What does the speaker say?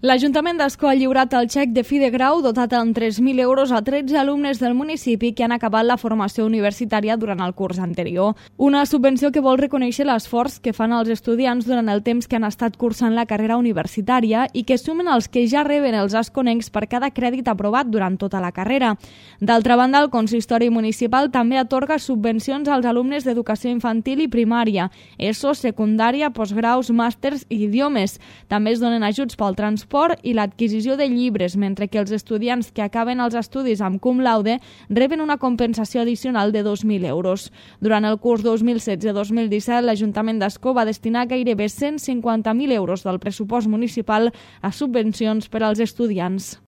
L'Ajuntament d'Ascó ha lliurat el xec de fi de grau dotat amb 3.000 euros a 13 alumnes del municipi que han acabat la formació universitària durant el curs anterior. Una subvenció que vol reconèixer l'esforç que fan els estudiants durant el temps que han estat cursant la carrera universitària i que sumen els que ja reben els asconencs per cada crèdit aprovat durant tota la carrera. D'altra banda, el consistori municipal també atorga subvencions als alumnes d'educació infantil i primària, ESO, secundària, postgraus, màsters i idiomes. També es donen ajuts pel transport i l'adquisició de llibres, mentre que els estudiants que acaben els estudis amb cum laude reben una compensació addicional de 2.000 euros. Durant el curs 2016-2017, l'Ajuntament d'Ascó va destinar gairebé 150.000 euros del pressupost municipal a subvencions per als estudiants.